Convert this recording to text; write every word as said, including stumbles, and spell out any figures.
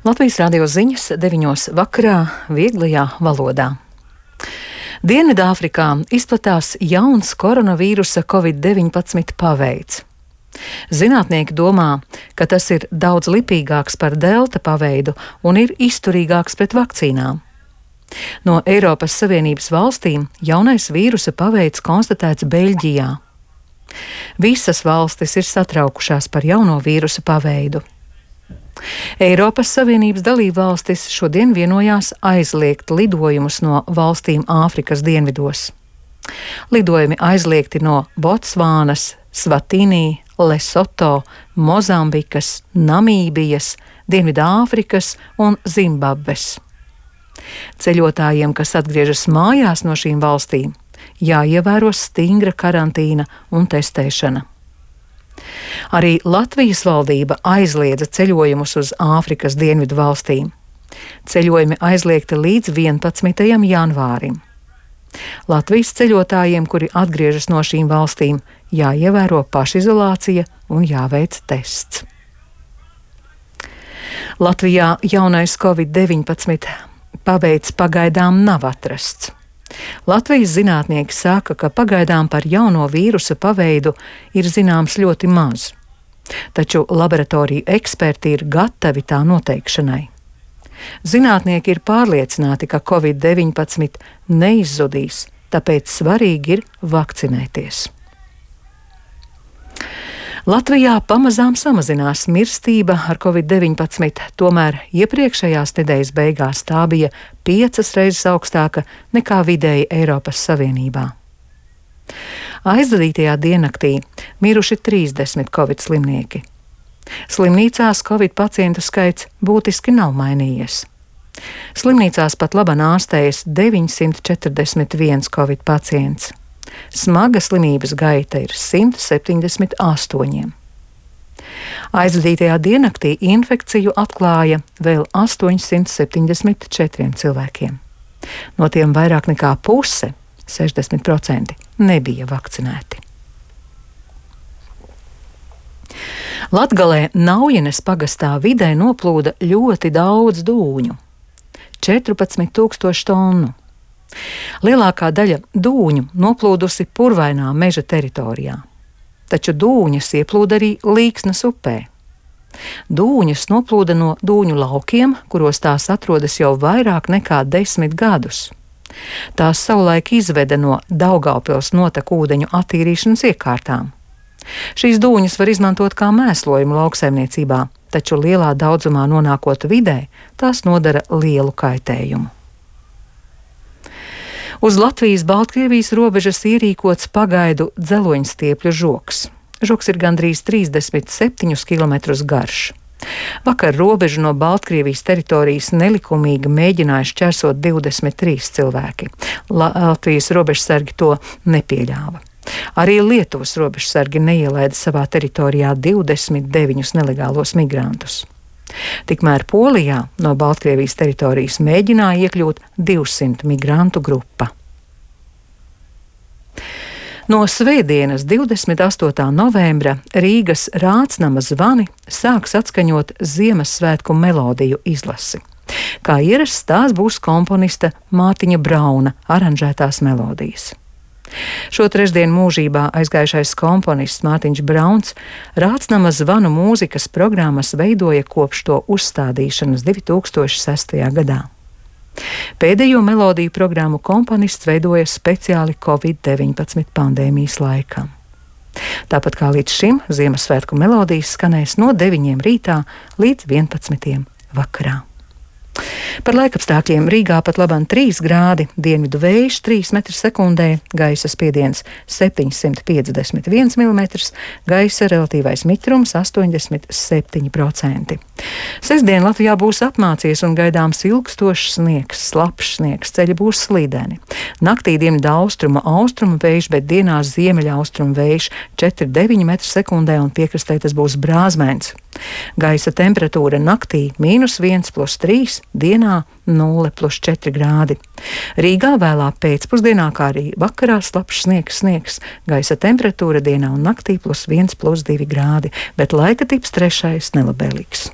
Latvijas radio ziņas deviņos vakarā vieglajā valodā. Dienvidāfrikā izplatās jauns koronavīrusa covid deviņpadsmit paveids. Zinātnieki domā, ka tas ir daudz lipīgāks par delta paveidu un ir izturīgāks pret vakcīnām. No Eiropas Savienības valstīm jaunais vīrusa paveids konstatēts Beļģijā. Visas valstis ir satraukušās par jauno vīrusa paveidu. Eiropas Savienības dalībvalstis šodien vienojās aizliegt lidojumus no valstīm Āfrikas dienvidos. Lidojumi aizliegti no Botsvānas, Svatīnī, Lesoto, Mozambikas, Namībijas, Dienvidāfrikas un Zimbabves. Ceļotājiem, kas atgriežas mājās no šīm valstīm, jāievēro stingra karantīna un testēšana. Arī Latvijas valdība aizliedza ceļojumus uz Āfrikas dienvidu valstīm. Ceļojumi aizliegti līdz vienpadsmitajam janvārim. Latvijas ceļotājiem, kuri atgriežas no šīm valstīm, jāievēro pašizolācija un jāveic tests. Latvijā jaunais covid deviņpadsmit paveids pagaidām nav atrasts. Latvijas zinātnieki saka, ka pagaidām par jauno vīrusa paveidu ir zināms ļoti maz, taču laboratoriju eksperti ir gatavi tā noteikšanai. Zinātnieki ir pārliecināti, ka covid deviņpadsmit neizzudīs, tāpēc svarīgi ir vakcinēties. Latvijā pamazām samazinās mirstība ar covid deviņpadsmit, tomēr iepriekšējās nedēļas beigās tā bija piecas reizes augstāka nekā vidēji Eiropas Savienībā. Aizvadītajā diennaktī miruši trīsdesmit covid slimnieki. Slimnīcās covid pacientu skaits būtiski nav mainījies. Slimnīcās pat labāk ārstējas deviņsimt četrdesmit viens covid pacients. Smaga slimības gaita ir simt septiņdesmit astoņi. Aizvadītajā diennaktī infekciju atklāja vēl astoņsimt septiņdesmit četriem cilvēkiem. No tiem vairāk nekā puse, sešdesmit procenti, nebija vakcinēti. Latgalē Naujenes pagastā vidē noplūda ļoti daudz dūņu – četrpadsmit tūkstoši tonu. Lielākā daļa dūņu noplūdusi purvainā meža teritorijā, taču dūņas ieplūda arī Līksnas upē. Dūņas noplūda no dūņu laukiem, kuros tās atrodas jau vairāk nekā desmit gadus. Tās savulaik izveda no Daugavpils notekūdeņu attīrīšanas iekārtām. Šīs dūņas var izmantot kā mēslojumu lauksaimniecībā, taču lielā daudzumā nonākot vidē, tās nodara lielu kaitējumu. Uz Latvijas-Baltkrievijas robežas ierīkots pagaidu dzeloņstiepļu žogs. Žogs ir gandrīz trīsdesmit septiņus kilometrus garš. Vakar robežu no Baltkrievijas teritorijas nelikumīgi mēģināja šķērsot divdesmit trīs cilvēki. Latvijas robežsargi to nepieļāva. Arī Lietuvas robežsargi neielaida savā teritorijā divdesmit deviņus nelegālos migrantus. Tikmēr Polijā no Baltkrievijas teritorijas mēģināja iekļūt divsimt migrantu grupa. No svētdienas divdesmit astotā novembra Rīgas Rācnama zvani sāks atskaņot Ziemassvētku melodiju izlasi. Kā ierasts, tās būs komponista Mārtiņa Brauna aranžētās melodijas. Šo trešdienu mūžībā aizgājušais komponists Mārtiņš Brauns Rācnama zvanu mūzikas programmas veidoja kopš to uzstādīšanas divi tūkstoši sestajā gadā. Pēdējo melodiju programmu komponists veidoja speciāli covid deviņpadsmit pandēmijas laikam. Tāpat kā līdz šim, Ziemassvētku melodijas skanēs no deviņiem rītā līdz vienpadsmitiem vakarā. Par laikapstākļiem Rīgā pat labāk trīs grādi, dienvidu vējš trīs metri sekundē, gaisa spiediens septiņsimt piecdesmit viens milimetrs, gaisa relatīvais mitrums astoņdesmit septiņi procenti. Sestdien Latvijā būs apmācies un gaidāms ilgstošs sniegs, slapjš sniegs, ceļi būs slīdeni. Naktī dienvidu austrumu austrumu vējš, bet dienās ziemeļa austrumu vējš četri deviņi metri sekundē un piekrastē tas būs brāzmēns. Gaisa temperatūra naktī mīnus viens plus trīs, dienā nulle plus četri grādi. Rīgā vēlā pēcpusdienā, kā arī vakarā slapjš sniegs, sniegs, gaisa temperatūra dienā un naktī plus viens plus divi grādi, bet laika tips trešais nelabēlīgs.